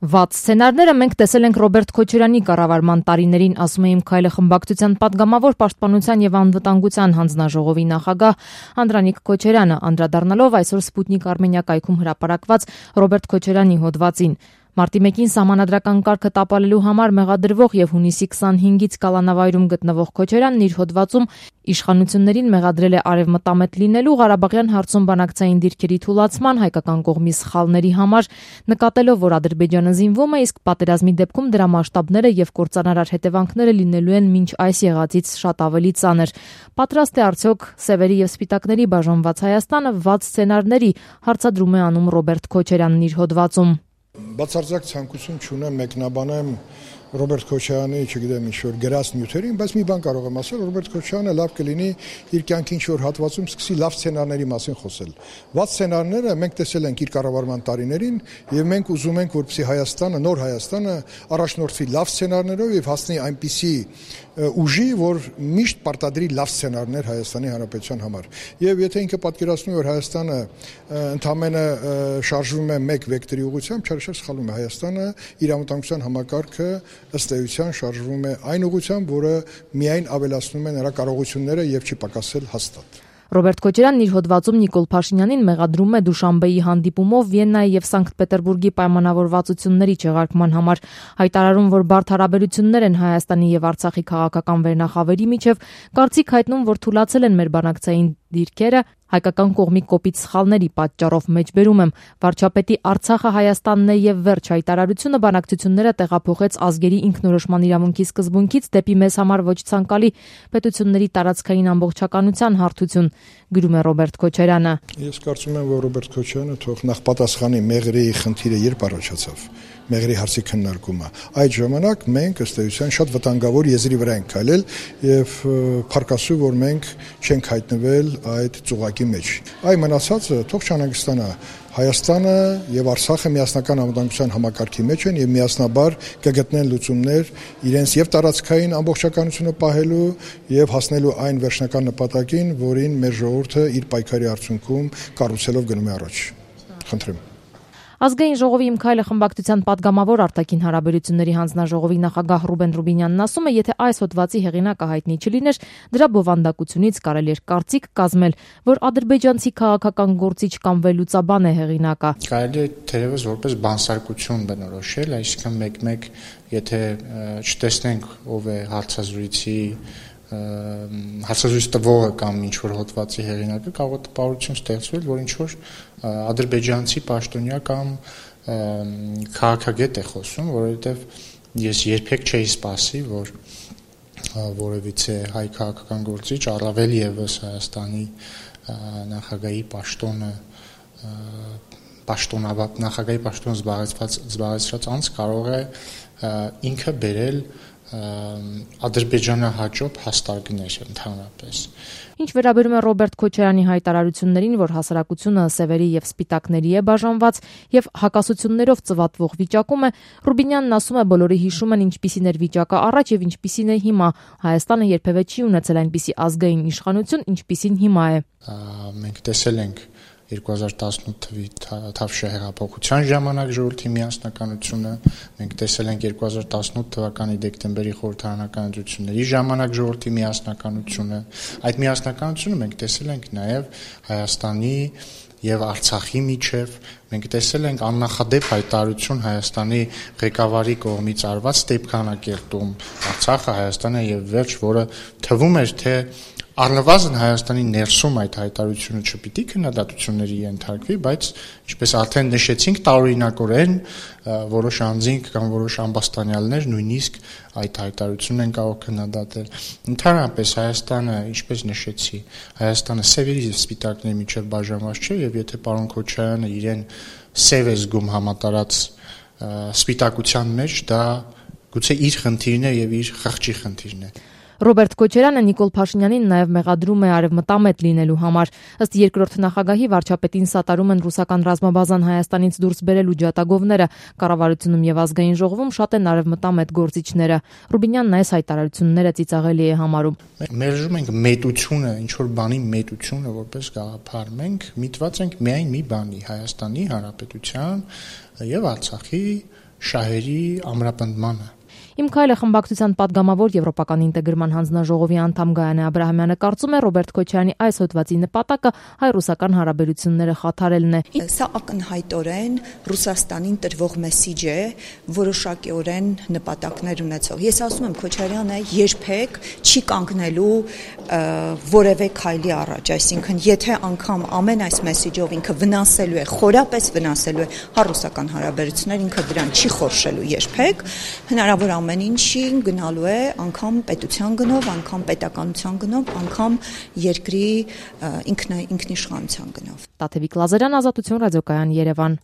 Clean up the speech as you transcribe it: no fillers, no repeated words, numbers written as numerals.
Վատ սցենարները մենք տեսել ենք Ռոբերտ Քոչարյանի կառավարման տարիներին, ասում է Իմ քայլը խմբակցության պատգամավոր Պաշտպանության եւ անվտանգության հանձնաժողովի նախագահ Անդրանիկ Քոչարյանը, անդրադառնալով այսօր Սպուտնիկ Արմենիա կայքում հրապարակված Ռոբերտ Քոչարյանի հոդվածին։ Մարտի 1-ին սահմանադրական կարգը տապալելու համար մեղադրվող եւ հունիսի 25-ից կալանավայրում գտնվող Քոչարյանն իր հոդվածում իշխանություններին մեղադրել է արևմտամետ լինելու, Ղարաբաղյան հարցում բանակցային դիրքերի թուլացման, հայկական կողմի սխալների համար, նկատելով, որ Ադրբեջանը զինվում է, իսկ պատերազմի դեպքում դրա մասշտաբները եւ կործանարար հետևանքները լինելու են մինչ այս եղածից շատ ավելի ծանր։ Պատրաստ է արդյոք սևերի եւ սպիտակների բաժանված Հայաստանը վատ սցենարների, հարցադրում է անում Ռոբերտ Քոչարյանն իր հոդվածում։ Բացարձակ ցանկություն չունեմ մեկնաբանեմ Ռոբերտ Քոչարյանի, չգիտեմ, ինչ-որ գրած նյութերին, բայց մի բան կարող եմ ասել, Ռոբերտ Քոչարյանը լավ կլինի իր կյանքի ինչ-որ հատվածում սկսի լավ սցենարների մասին խոսել։ Վատ սցենարները մենք տեսել ենք իր կառավարման տարիներին եւ մենք ուզում ենք, որպեսզի Հայաստանը, նոր Հայաստանը առաջնորդվի լավ սցենարներով եւ հասնի այնպիսի ուժի, որ միշտ պարտադրի լավ սցենարներ Հայաստանի Հանրապետության համար։ Եվ եթե ինքը պատկերացնում է, որ Հայաստանը ընդամենը շարժվում է մեկ վեկտորի ուղղությամբ, չարաշահ սխալվում է, Հայաստանը իր անվտանգության համակարգը ըստ էության շարժվում է այն ուղղությամբ, որը միայն ավելացնում է նրա կարողությունները եւ չի պակասել հաստատ։ Ռոբերտ Քոչարյանն իր հոդվածում Նիկոլ Փաշինյանին մեղադրում է Դուշանբեի հանդիպումով Վիեննայի եւ Սանկտ Պետերբուրգի պայմանավորվածությունների չեղարկման համար, հայտարարում, որ բարդ հարաբերություններ են Հայաստանի եւ Արցախի քաղաքական վերնախավերի միջև, կարծիք հայտնում, որ թուլացել են մեր բանակցային դիրքերը, հայկական կողմի կոպիտ սխալների պատճառով մեջբերում եմ, վարչապետի Արցախը Հայաստանն է եւ վերջ հայտարարությունը բանակցությունները տեղափոխեց ազգերի ինքնորոշման իրավունքի սկզբունքից դեպի մեզ համար ոչ ցանկալի պետությունների տարածքային ամբողջականության հարթություն, գրում է Ռոբերտ Քոչարյանը։ Ես կարծում եմ, որ Ռոբերտ Քոչարյանը թող նախ պատասխանի Մեղրի խնդիրը երբ առաջացավ, Մեղրի հարցի քննարկումը։ Այդ ժամանակ մենք ըստ էության շատ վտանգավոր եզրի վրա ենք քայլել եւ փառքասու, որ մենք չենք հայտնվել այդ ծուղակի մեջ։ Այ մնացածը թող չանհանգստանա։ Հայաստանը եւ Արցախը միասնական անվտանգության համակարգի մեջ են եւ միասնաբար կգտնեն լուծումներ իրենց եւ տարածքային ամբողջականությունը պահելու եւ հասնելու այն վերջնական նպատակին, որին մեր ժողովուրդը իր պայքարի արդյունքում կառուցելով գնում է առաջ։ Խնդրեմ։ Ազգային ժողովի Իմ քայլը խմբակցության պատգամավոր արտաքին հարաբերությունների հանձնաժողովի նախագահ Ռուբեն Ռուբինյանն ասում է, եթե այս հոդվածի հեղինակը հայտնի չլիներ, դրա բովանդակությունից կարելի էր կարծիք կազմել, որ ադրբեջանցի քաղաքական գործիչ կամ վերլուծաբան է հեղինակը։ Կարելի է թերևս որպես բանսարկություն բնորոշել, այսինքն մեկ-մեկ, եթե չտեսնենք ով է հարցազրույցի հարցազրույց տվողը կամ ինչ-որ հոդվածի հեղինակը, կարող է տպավորություն ստեղծվել, որ ինչ-որ ադրբեջանցի պաշտոնյա կամ քաղաքագետ է խոսում, որովհետև ես երբեք չէի սպասի, որ որևիցե հայ քաղաքական գործիչ, առավել ևս Հայաստանի նախագահի պաշտոնը զբաղեցրած անձ կարող է ինքը բերել Ադրբեջանը հաճոբ հաստարկներ ընդհանրապես։ Ինչ վերաբերում է Ռոբերտ Քոչարյանի հայտարարություններին, որ հասարակությունը սևերի եւ սպիտակների է բաժանված եւ հակասություններով ծվատվող վիճակում է, Ռուբինյանն ասում է, բոլորը հիշում են ինչպիսին էր վիճակը առաջ եւ ինչպիսին է հիմա։ Հայաստանը երբևէ չի ունեցել այնպիսի ազգային իշխանություն, ինչպիսին հիմա է։ Մենք տեսել ենք 2018 թվականի Թավշյա հեղափոխության ժամանակ ժողովրդի միասնականությունը, մենք տեսել ենք 2018 թվականի դեկտեմբերի խորհրդարանական ընտրությունների ժամանակ ժողովրդի միասնականությունը, այդ միասնականությունը մենք տեսել ենք նաև Հայաստանի եւ Արցախի միջև, մենք տեսել ենք աննախադեպ հայտարարություն Հայաստանի ղեկավարի կողմից արված Ստեփանակերտում, Արցախը Հայաստանը եւ վերջ, որը թվում էր, թե առնվազն Հայաստանի ներսում այդ հայտարարությունը չպիտի քննադատությունների ենթարկվի, բայց ինչպես արդեն նշեցինք, տարօրինակորեն որոշ անձինք կամ որոշ ամբաստանյալներ նույնիսկ այդ հայտարարությունն են կարող քննադատել։ Ընդհանրապես Հայաստանը, ինչպես նշեցի, Հայաստանը սևերի եւ սպիտակների միջև բաժանված չէ եւ եթե պարոն Քոչարյանը իրեն սև է զգում համատարած սպիտակության մեջ, դա գուցե իր խնդիրն է եւ իր խղճի խնդիրն է։ Ռոբերտ Քոչարյանը Նիկոլ Փաշինյանին նաև մեղադրում է արևմտամետ լինելու համար։ Ըստ երկրորդ նախագահի վարչապետին սատարում են ռուսական ռազմաբազան Հայաստանից դուրս բերելու ջատագովները, կառավարությունում եւ ազգային ժողովում շատ են արևմտամետ գործիչները։ Ռուբինյանն այս հայտարարությունները ծիծաղելի է համարում։ Մերժում ենք մետությունը, ինչ որ բանի մետությունը որպես գաղափար։ Մենք միտված ենք միայն մի բանի՝ Հայաստանի Հանրապետության եւ Արցախի շահերի ամրապնդմանը։ Իմ քայլը խմբակցության падգամավոր Եվրոպական ինտեգրման հանձնաժողովի անդամ Գայանե Աբրահամյանը կարծում է Ռոբերտ Քոչարյանի այս հոդվածի նպատակը հայ-ռուսական հարաբերությունները խաթարելն է։ Սա ակնհայտորեն Ռուսաստանին տրվող մեսիջ է, որոշակիորեն նպատակներ ունեցող։ Ես ասում եմ Քոչարյանը երբեք չի կանգնելու որևէ քայլի առաջ, այսինքն եթե անգամ ամեն այս մեսիջով ինքը վնասելու է, խորապես վնասելու է հայ-ռուսական հարաբերություններ, ինքը դրան չի խորշելու երբեք, հնարավոր ամեն ինչին գնալու է անգամ պետության գնով, անգամ պետականության գնով, անգամ երկրի ինքնիշխանության գնով։ Տաթևիկ Լազարյան, Ազատություն ռադիոկայան, Երևան։